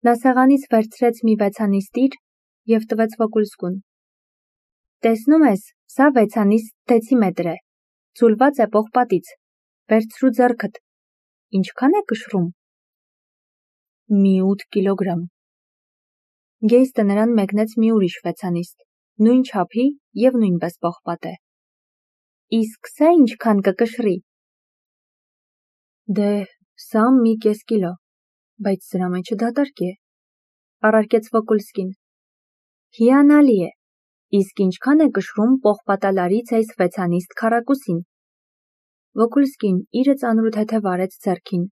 Նա սեղանից վերցրեց մի վեցանիստիր և տվեց Վոկուլսկուն. «Տեսնում ես, սա վեցանիստ դեցիմետր է, ձուլված է պողպատից, վերցրու ձեռքդ, ինչքան է կշռում»։ «Մի 8 կիլոգրամ»։ Գեյստը նրան մեկնեց մի ուրիշ վեցանիստ, նույն չափի և նույնպես պողպատե։ «Իսկ սա ինչքան կկշռի»։ «Դե, սա մի կես կիլո, բայց սրա մեջը դատարկ է», առարկեց Վոկուլսկին։ «Հիանալի է, իսկ ինչքան է կշռում պողպատալարից այս վեցանիստ քառակուսին»։ Վոկուլսկին իրը ծանր ու թեթև արեց ձեռքին։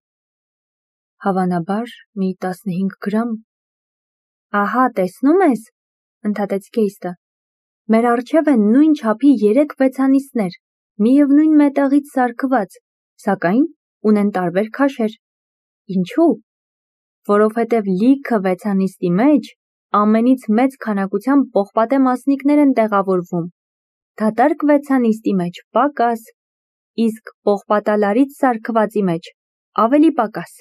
«Հավանաբար մի 15 գրամ»։ «Ահա, տեսնում ես», ընդհատեց Գեյստը, «մեր առջև են նույն չափի 3 վեցանիստներ, միևնույն մետաղից սարքված, սակայն ունեն տարբեր քաշեր։ Ինչու՞։ Որովհետև լիքը վեցանիստի մեջ ամենից մեծ քանակությամբ պողպատե մասնիկներ են տեղավորվում, դատարկ վեցանիստի մեջ պակաս, իսկ պողպատալարից սարքվածի մեջ ավելի պակաս։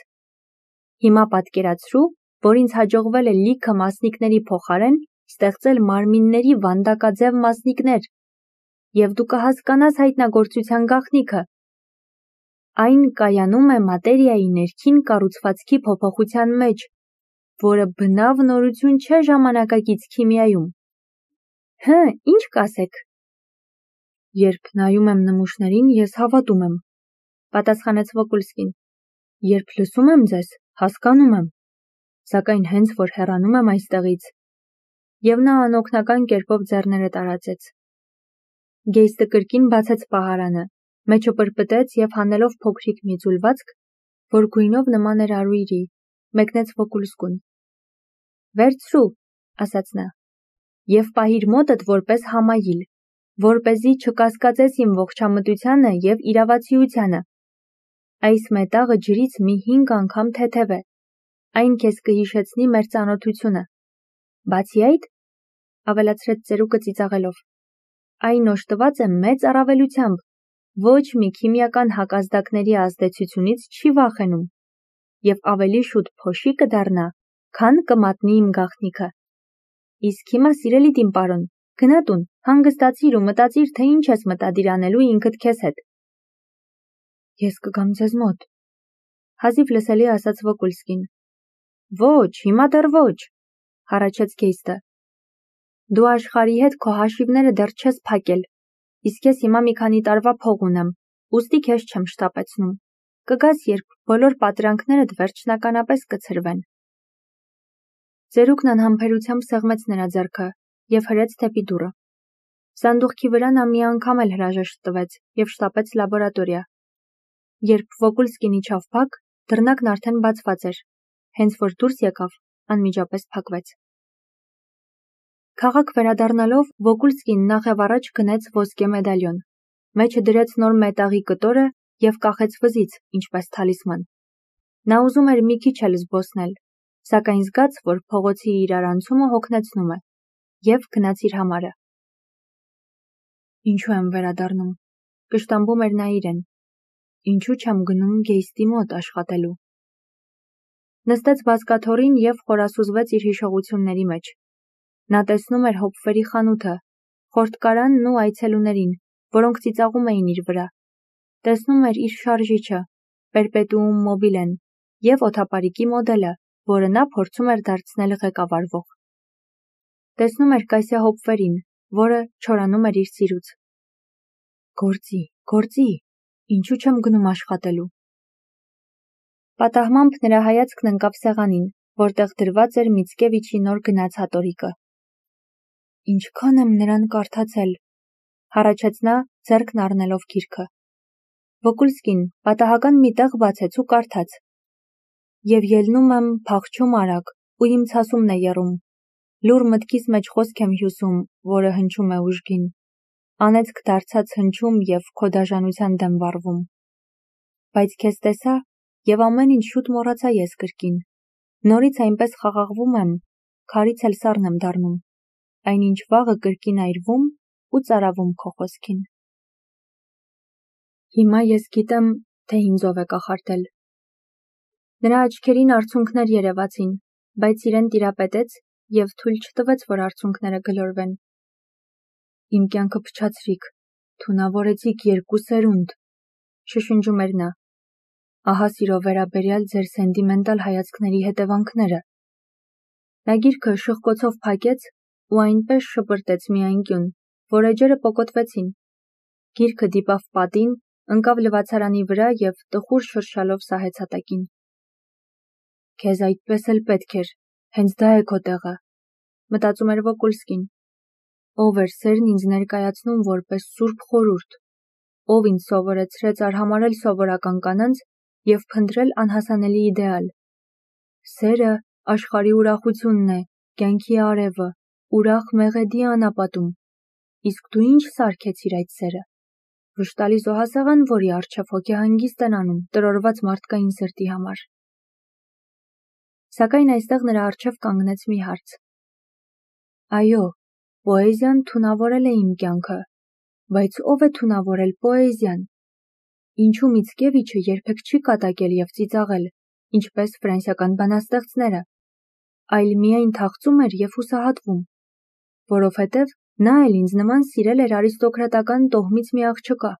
Հիմա պատկերացրու, որ ինձ հաջողվել է լիքը մասնիկների փոխարեն ստեղծել մարմինների վանդակաձև մասնիկներ, և դու կհասկանաս հայտնագործության գաղտնիքը։ Այն կայանում է մատերիայի ներքին կառուցվածքի փոփոխության մեջ, որը բնավ նորություն չէ ժամանակակից քիմիայում։ Հը, ինչ կասեք։ Երբ նայում եմ նմուշներին, ես հավատում եմ, պատասխանեց Վոկուլսկին։ Երբ լսում եմ ձեզ, հասկանում եմ, սակայն հենց որ հեռանում եմ այստեղից։ Եվ նա անօգնական կերպով ձեռները տարածեց։ Գեյստը կրկին բացեց պահարանը, մեջը պրպտեց և հանելով փոքրիկ մի ձուլվածք, որ գույնով նման էր արույրի, մեկնեց Վոկուլսկուն։ Վերցրու, ասաց նա, և պահիր մոտդ որպես համայիլ, որպեսզի չկասկածես իմ ողջամտությանը և իրավացիությանը։ Այս մետաղը ջրից մի 5 անգամ թեթև է, այն քեզ կհիշեցնի մեր ծանոթությունը։ Բացի այդ, ավելացրեց ծերուկը ծիծաղելով, այն օժտված է մեծ առավելությամբ, ոչ մի քիմիական հակազդակների ազդեցությունից չի վախենում, և ավելի շուտ փոշի կդառնա, քան կմատնի իմ գաղտնիքը։ Իսկ հիմա, սիրելի տին պարոն, գնա տուն, հանգստացիր ու մտածիր, թե ինչ ես մտադիր անելու ինքդ քեզ հետ։ Ես կգամ ձեզ մոտ, հազիվ լսելի ասաց Վոկուլսկին։ Ոչ, հիմա դեռ ոչ, հառաչեց Գեյստը։ Դու աշխարհի հետ քո հաշիվները դեռ չես փակել, իսկ ես հիմա մի քանի տարվա փող ունեմ, ուստի քեզ չեմ շտապեցնում։ Կգաս, երբ բոլոր պատրանքներդ վերջնականապես կցրվեն։ Ծերուկն անհամբերությամբ սեղմեց նրա ձեռքը և հրեց դեպի դուռը։ Սանդուղքի վրա նա մի անգամ էլ հրաժեշտ տվեց և շտապեց լաբորատորիա։ Երբ Վոկուլսկին իջավ բակ, դռնակն արդեն բացված էր, հենց որ դուրս եկավ, անմիջապես փակվեց։ Քաղաք վերադառնալով, Վոկուլսկին նախևառաջ գնեց ոսկե մեդալիոն, մեջը դրեց նոր մետաղի կտորը և կախեց վզից, ինչպես թալիսման։ Նա ուզում էր մի քիչ էլ զբոսնել, սակայն զգաց, որ փողոցի իրարանցումը հոգնեցնում է, և գնաց իր համարը։ Ինչու եմ վերադառնում, կշտամբում էր նա իրեն։ Ինչու չեմ գնում Գեյստի մոտ աշխատելու։ Նստեց բազկաթոռին և խորասուզվեց իր հիշողությունների մեջ։ Նա տեսնում էր հոպվերի խանութը, խորտկարանն ու այցելուներին, որոնք ծիծաղում էին իր վրա։ Տեսնում էր իր շարժիչը, պերպետուում մոբիլեն, և օդապարիկի մոդելը, որը նա փորձում էր դարձնել ղեկավարվող։ Տեսնում էր Կասյա Հոպվերին, որը չորանում էր իր սիրուց։ Գործի, ինչու չեմ գնում աշխատելու։ Պատահմամբ նրա հայացքն ընկավ սեղանին, որտեղ դրված էր Միցկևիչի նոր գնած հատորիկը։ Ինչքան եմ նրան կարդացել, հառաչեց նա, ձեռքն առնելով գիրքը։ Վոկուլսկին պատահական մի տեղ բացեց ու կարդաց. Եվ ելնում եմ, փախչում արագ, ու իմ ցասումն է եռում։ Լուռ մտքիս մեջ խոսք եմ հյուսում, որը հնչում է ուժգին։ Անեծք դարձած հնչում և քո դաժանության դեմ վառվում։ Բայց քեզ տեսա, և ամեն ինչ շուտ մոռացա ես կրկին։ Նորից այնպես խաղաղվում եմ, քարից էլ սառն եմ դառնում։ Այնինչ վաղը կրկին այրվում ու ծարավում քո խոսքին։ Հիմա ես գիտեմ, թե ինձ ով է կախարդել։ Նրա աչքերին արցունքներ երևացին, բայց իրեն տիրապետեց և թույլ չտվեց, որ արցունքները գլորվեն։ Իմ կյանքը փչացրիք, թունավորեցիք 2 սերունդ, շշնջում էր նա։ Ահա սիրո վերաբերյալ ձեր սենտիմենտալ հայացքների հետևանքները։ Նա գիրքը շխկոցով փակեց ու այնպես շպրտեց մի անկյուն, որ էջերը պոկոտվեցին։ Գիրքը դիպավ պատին, ընկավ լվացարանի վրա և տխուր շրշալով սահեց հատակին։ Քեզ այդպես էլ պետք էր, հենց դա է քո տեղը, մտածում էր Վոկուլսկին։ Ով էր սերն ինձ ներկայացնում որպես սուրբ խորհուրդ, ով ինձ սովորեցրեց արհամարհել սովորական կանանց և փնտրել անհասանելի իդեալ։ Սերը աշխարհի ուրախությունն է, կյանքի արևը, ուրախ մեղեդի անապատում։ Իսկ դու ինչ սարքեցիր այդ սերը։ Վշտալի զոհասեղան, որի առջև հոգեհանգիստ են անում տրորված մարդկային սրտի համար։ Սակայն այստեղ նրա առջև կանգնեց մի հարց։ Այո, պոեզիան թունավորել է իմ կյանքը, բայց ով է թունավորել պոեզիան։ Ինչու Միցկևիչը երբեք չի կատակել և ծիծաղել, ինչպես ֆրանսիական բանաստեղծները, այլ միայն թախծում էր և հուսահատվում, որովհետև նա էլ ինձ նման սիրել էր արիստոկրատական տոհմից մի աղջկա,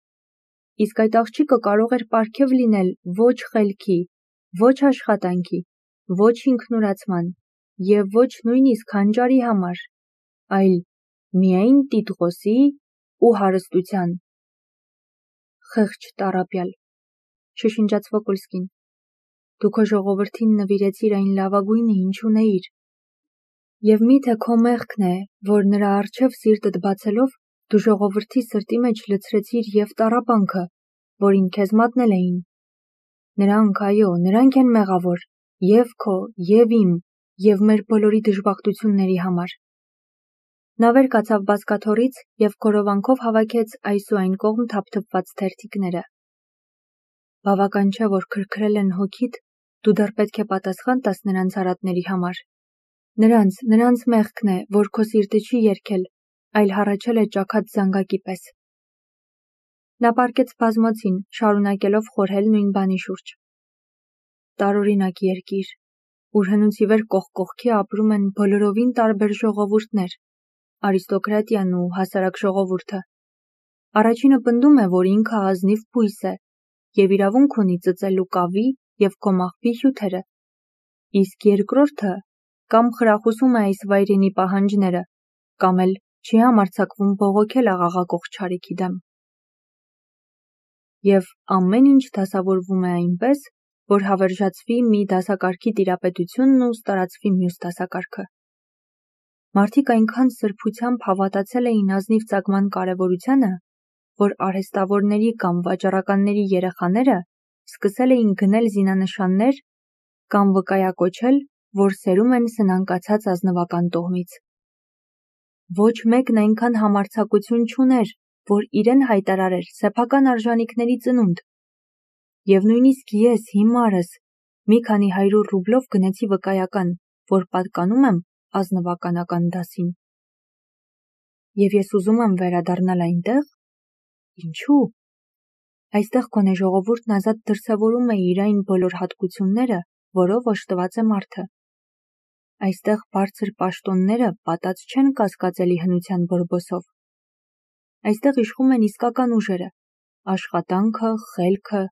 իսկ այդ աղջիկը կարող էր պարգև լինել ոչ խելքի, ոչ աշխատանքի, ոչ ինքնուրացման և ոչ նույնիսկ հանճարի համար, այլ միայն տիտղոսի ու հարստության։ Խեղճ տառապյալ, շշնջաց Վոկուլսկին, դու քո ժողովրդին նվիրեցիր այն լավագույնը, ինչ ունեիր։ Եվ միթե քո մեղքն է, որ նրա առջև սիրտդ բացելով դու ժողովրդի սրտի մեջ լցրեցիր և տառապանքը, որին քեզ մատնել էին։ Նրանք, այո, նրանք են մեղավոր, և քո, և իմ, և մեր բոլորի դժբախտությունների համար։ Նա վեր կացավ բազկաթոռից և քորովանքով հավաքեց այս ու այն կողմ թափթփված թերթիկները։ Բավական չէ, որ քրքրել են հոգիդ, դու դեռ պետք է պատասխան տաս նրանց արատների համար։ Նրանց մեղքն է, որ քո սիրտը չի երգել, այլ հառաչել է ճաքած զանգակի պես։ Նա պառկեց բազմոցին, շարունակելով խորհել նույն բանի շուրջ։ Տարօրինակ երկիր, ուր հնուց ի վեր կողք կողքի ապրում են բոլորովին տարբեր ժողովուրդներ, արիստոկրատիան ու հասարակ ժողովուրդը։ Առաջինը պնդում է, որ ինքը ազնիվ բույս է և իրավունք ունի ծծելու կավի և կոմաղբի հյութերը, իսկ երկրորդը կամ խրախուսում է այս վայրենի պահանջները, կամ էլ չի համարձակվում բողոքել աղաղակող չարիքի դեմ։ Եվ ամեն ինչ դասավորվում է այնպես, որ հավերժացվի մի դասակարգի տիրապետությունն ու ստարացվի մյուս դասակարգը։ Մարդիկ այնքան սրբությամբ հավատացել էին ազնիվ ծագման կարևորությանը, որ արհեստավորների կամ վաճառականների երեխաները սկսել էին գնել զինանշաններ կամ վկայակոչել, որ սերում են սնանկացած ազնվական տոհմից։ Ոչ մեկն այնքան համարձակություն չուներ, որ իրեն հայտարարեր սեփական արժանիքների ծնունդ։ Եվ նույնիսկ ես հիմարս մի քանի 100 ռուբլով գնեցի վկայական, որ պատկանում եմ ազնվականական դասին։ Եվ ես ուզում եմ վերադառնալ այնտեղ։ Ինչու՞։ Այստեղ գոնե ժողովուրդն ազատ դրսևորում է իր այն բոլոր հատկությունները, որով օժտված է մարդը։ Այստեղ բարձր պաշտոնները պատած չեն կասկածելի հնության բորբոսով։ Այստեղ իշխում են իսկական ուժերը՝ աշխատանքը, խելքը,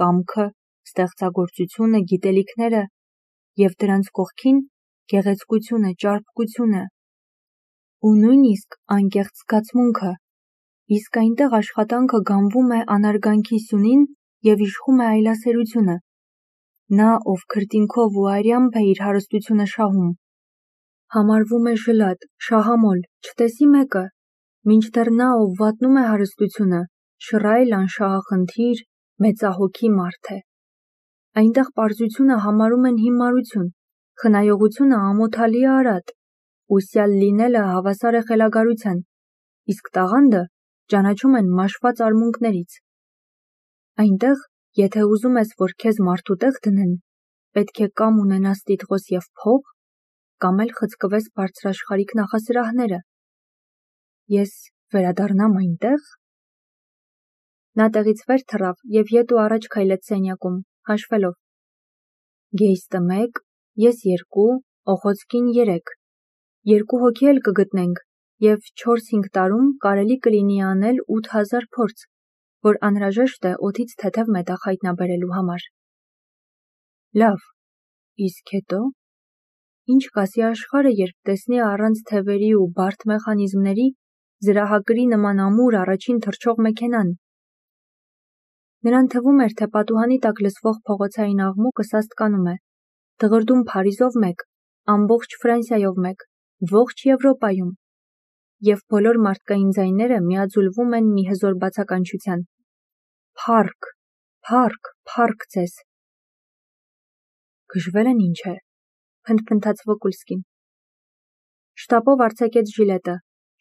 կամքը, ստեղծագործությունը, գիտելիքները և դրանց կողքին գեղեցկությունը, ճարպկությունը ու նույնիսկ անկեղծ զգացմունքը, իսկ այնտեղ աշխատանքը գանվում է անարգանքի սյունին և իշխում է այլասերությունը։ Նա, ով քրտինքով ու արյամբ է իր հարստությունը շահում, համարվում է ժլատ, շահամոլ, չտեսի մեկը, մինչդեռ նա, ով վատնում է հարստությունը, շռայլ, անշահախնդիր, մեծահոգի մարդ է։ Այնտեղ պարզությունը համարում են հիմարություն, խնայողությունը ամոթալի արատ, ուսյալ լինելը հավասար է խելագարության, իսկ տաղանդը ճանաչում են մաշված արմունկներից։ Այնտեղ, եթե ուզում ես, որ քեզ մարդու տեղ դնեն, պետք է կամ ունենաս տիտղոս և փող, կամ էլ խցկվես բարձրաշխարհիկ նախասրահները։ Ես վերադառնամ այնտեղ։ Նա տեղից վեր թռավ և ետ ու առաջ քայլեց սենյակում, հաշվելով. Գեյստը 1, ես 2, օխոցկին 3, 2 հոգի էլ կգտնենք, և 4-5 տարում կարելի կլինի անել 8000 փորձ, որ անհրաժեշտ է օդից թեթև մետաղ հայտնաբերելու համար։ Լավ, իսկ հետո։ Ինչ կասի աշխարհը, երբ տեսնի առանց թևերի ու բարդ մեխանիզմների զրահակրի նման ամուր առաջին թռչող մեքենան։ Նրան թվում էր, թե պատուհանի տակ լսվող փողոցային աղմուկը սաստկանում է, դղրդում Փարիզով մեկ, ամբողջ Ֆրանսիայով մեկ, ողջ Եվրոպայում, և բոլոր մարդկային ձայները միաձուլվում են մի հզոր բացականչության. Փառք, փառք, փառք ձեզ։ Գժվել են ինչ է, փնթփնթաց Վոկուլսկին։ Շտապով արձակեց ժիլետը,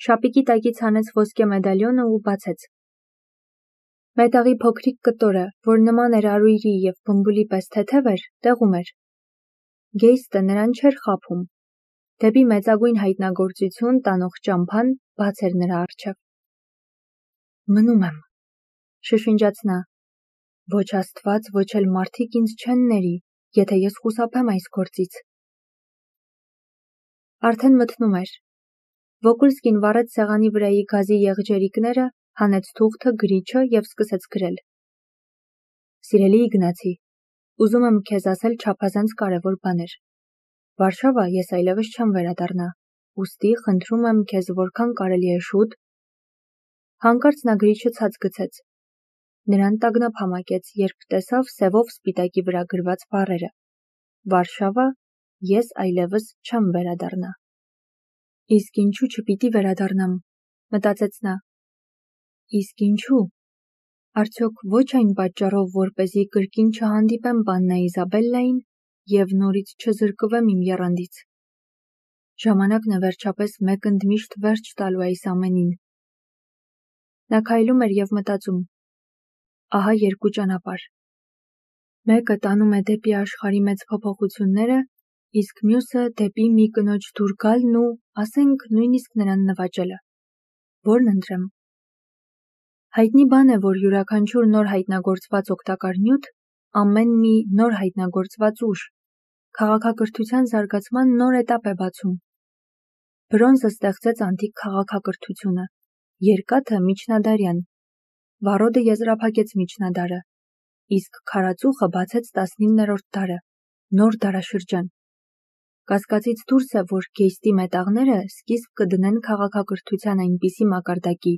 շապիկի տակից հանեց ոսկե մեդալյոնը ու բացեց։ Մետաղի փոքրիկ կտորը, որ նման էր արույրի և բմբուլի պես թեթև էր, տեղում էր։ Գեյստը նրան չէր խաբում։ Դեպի մեծագույն հայտնագործություն տանող ճամփան բաց էր նրա առջև։ Մնում եմ, շշնջաց նա։ Ոչ Աստված, ոչ էլ մարդիկ ինձ չեն ների, եթե ես խուսափեմ այս գործից։ Արդեն մթնում էր։ Վոկուլսկին վառեց սեղանի վրայի գազի եղջերիկները, հանեց թուղթը, գրիչը և սկսեց գրել։ Սիրելի Իգնացի, ուզում եմ քեզ ասել չափազանց կարևոր բաներ։ Վարշավա ես այլևս չեմ վերադառնա, ուստի խնդրում եմ քեզ որքան կարելի է շուտ։ Հանկարծ նա գրիչը ցած գցեց։ Նրան տագնապ համակեց, երբ տեսավ սևով սպիտակի վրա գրված բառերը. Վարշավա, ես այլևս չեմ վերադառնա։ Իսկ ինչու չպիտի վերադառնամ, մտածեց նա։ Իսկ ինչու։ Արդյոք ոչ այն պատճառով, որպեսզի կրկին չհանդիպեմ պաննա Իզաբելլային և նորից չզրկվեմ իմ եռանդից։ Ժամանակն է վերջապես մեկ ընդմիշտ վերջ տալու այս ամենին։ Նա քայլում էր և մտածում. ահա երկու ճանապարհ։ Մեկը տանում է դեպի աշխարհի մեծ փոփոխությունները, իսկ մյուսը դեպի մի կնոջ դուր գալն ու, ասենք, նույնիսկ նրան նվաճելը։ Որն ընտրեմ։ Հայտնի բան է, որ յուրաքանչյուր նոր հայտնագործված օգտակար նյութ, ամեն մի նոր հայտնագործված ուժ, քաղաքակրթության զարգացման նոր էտապ է բացում։ Բրոնզը ստեղծեց անտիկ քաղաքակրթությունը, երկաթը միջնադարյան, վառոդը եզրափակեց միջնադարը, իսկ քարածուխը բացեց 19-րդ դարը, նոր դարաշրջան։ Կասկածից դուրս է, որ գեյստի մետաղները սկիզբ կդնեն քաղաքակրթության այնպիսի մակարդակի,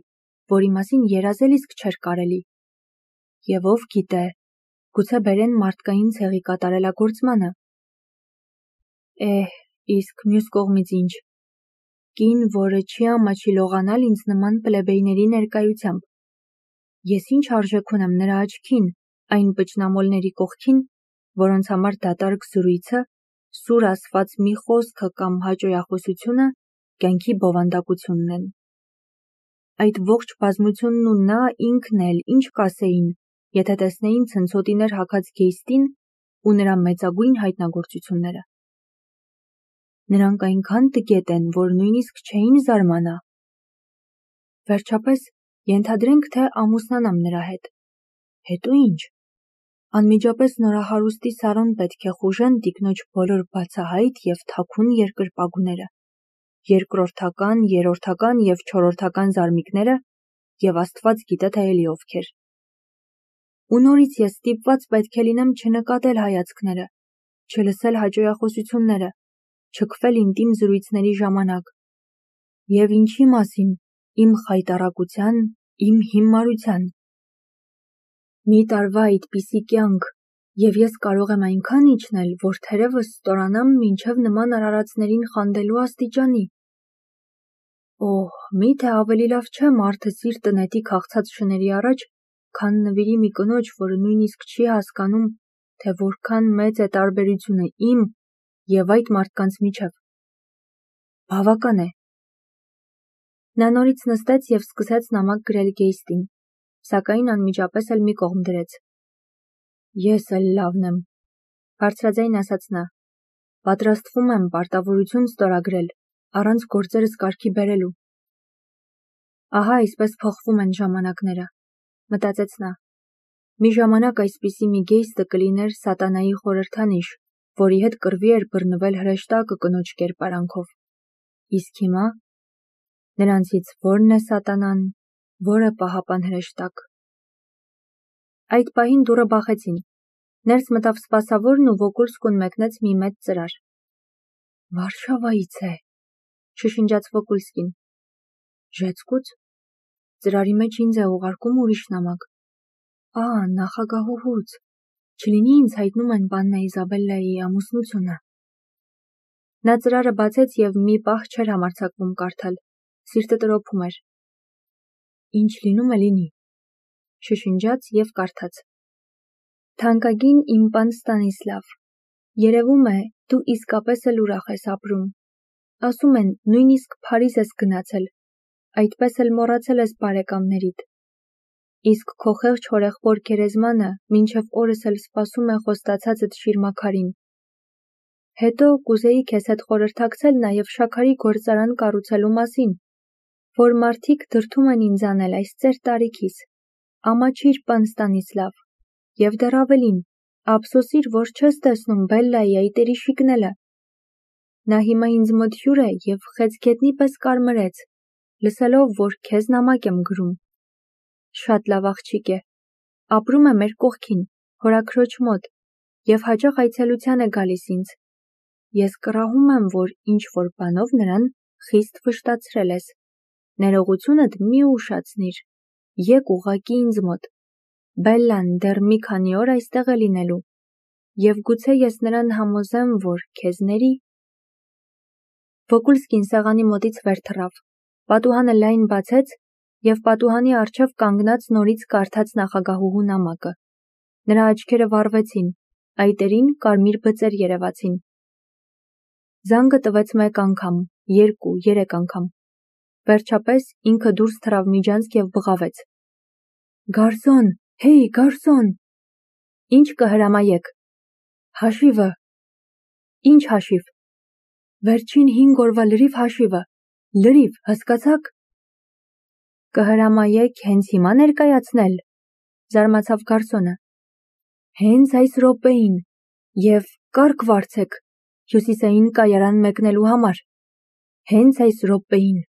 որի մասին երազել իսկ չէր կարելի։ Եվ ով գիտե, գուցե բերեն մարդկային ցեղի կատարելագործմանը։ Իսկ մյուս կողմից ինչ։ Կին, որը չի ամաչի լողանալ ինձ նման պլեբեյների ներկայությամբ։ Ես ինչ արժեք ունեմ նրա աչքին, այն պճնամոլների կողքին, որոնց համար դատարկ զրույցը, սուր ասված մի խոսքը կամ հաճոյախոսությունը կյանքի բովանդակությունն են։ Այդ ողջ բազմությունն ու նա ինքն էլ ինչ կասեին, եթե տեսնեին ցնցոտիներ հագած գեյստին ու նրա մեծագույն հայտնագործությունները։ Նրանք այնքան տգետ են, որ նույնիսկ չէին զարմանա։ Վերջապես, ենթադրենք, թե ամուսնանամ նրա հետ։ Հետո ինչ։ Անմիջապես նորահարուստի Սարոն պետք է խուժեն տիկնոջ բոլոր բացահայտ և թաքուն երկրպագուները, երկրորդական, երրորդական և չորրորդական զարմիկները և Աստված գիտե թե էլի ովքեր։ Ու նորից ես ստիպված պետք է լինեմ չնկատել հայացքները, չլսել հաճոյախոսությունները, չքվել ինտիմ զրույցների ժամանակ։ Եվ ինչի մասին, իմ խայտառակության, իմ հիմարության։ Մի տարվա այդպիսի կյանք, և ես կարող եմ այնքան իջնել, որ թերևս ստորանամ մինչև նման արարածներին խանդելու աստիճանի։ Միթե ավելի լավ չէ մարդը սիրտը նետի քաղցած շների առաջ, քան նվիրի մի կնոջ, որը նույնիսկ չի հասկանում, թե որքան մեծ է տարբերությունը իմ և այդ մարդկանց միջև։ Բավական է։ Նա նորից նստեց և սկսեց նամակ գրել Գեյստին, սակայն անմիջապես էլ մի կողմ դրեց։ Ես էլ լավն եմ, բարձրաձայն ասաց նա։ Պատրաստվում եմ պարտավորություն ստորագրել, առանց գործերս կարգի բերելու։ Ահա այսպես փոխվում են ժամանակները, մտածեց նա։ Մի ժամանակ այսպիսի մի գեյստը կլիներ սատանայի խորհրդանիշ, որի հետ կռվի էր բռնվել հրեշտակը կնոջ կերպարանքով։ Իսկ հիմա նրանցից ո՞րն է սատանան, որը պահապան հրեշտակ։ Այդ պահին դուռը բախեցին։ Ներս մտավ սպասավորն ու Վոկուլսկուն մեկնեց մի մեծ ծրար։ Վարշավայից է, շշնջաց Վոկուլսկին։ Ժեցկուց։ Ծրարի մեջ ինձ է ուղարկում ուրիշ նամակ։ Նախագահուհուց։ Չլինի ինձ հայտնում են Պաննա Իզաբելլայի ամուսնությունը։ Նա ծրարը բացեց և մի պահ չէր համարձակվում կարդալ, սիրտը տրոփում էր։ Ինչ լինում է լինի, շշնջաց և կարդաց. Թանկագին իմ պան Ստանիսլավ, երևում է, դու իսկապես էլ ուրախ ես ապրում։ Ասում են, նույնիսկ Փարիզ ես գնացել, այդպես էլ մոռացել ես բարեկամներիդ։ Իսկ քո խեղճ հորեղբոր գերեզմանը մինչև օրս էլ սպասում է խոստացածդ շիրմաքարին։ Հետո կուզեի քեզ հետ խորհրդակցել նաև շաքարի գործարան կառուցելու մասին, որ մարդիկ դրդում են ինձ անել այս ծեր տարիքիս։ Ամաչիր, պան Ստանիսլավ, և դեռ ավելին, ափսոսիր, որ չես տեսնում Բելլայի այդ երիշիկնելը։ Նա հիմա ինձ մոտ հյուր է և խեցգետնի պես կարմրեց, լսելով, որ քեզ նամակ եմ գրում։ Շատ լավ աղջիկ է, ապրում է մեր կողքին, հորաքրոջ մոտ, և հաճախ այցելության է գալիս ինձ։ Ես կռահում եմ, որ ինչ-որ բանով նրան խիստ վշտացրել ես։ Ներողությունդ մի ուշացնիր, եկ ուղղակի ինձ մոտ։ Բելլան դեռ մի քանի օր այստեղ է լինելու, և գուցե ես նրան համոզեմ, որ քեզ ների։ Վոկուլսկին սեղանի մոտից վեր թռավ, պատուհանը լայն բացեց և պատուհանի առջև կանգնած նորից կարդաց նախագահուհու նամակը։ Նրա աչքերը վառվեցին, այտերին կարմիր բծեր երևացին։ Զանգը տվեց 1 անգամ, 2, 3 անգամ։ Վերջապես ինքը դուրս թռավ միջանցք և բղավեց. Գարսոն, հեյ, գարսոն։ Ինչ կհրամայեք։ Հաշիվը։ Ինչ հաշիվ։ Վերջին 5 օրվա լրիվ հաշիվը։ Լրիվ, հասկացաք։ Կհրամայեք հենց հիմա ներկայացնել, զարմացավ գարսոնը։ Հենց այս րոպեին, և կարգ վարձեք, հյուսիսային կայարան մեկնելու համար։ Հենց այս րոպեին։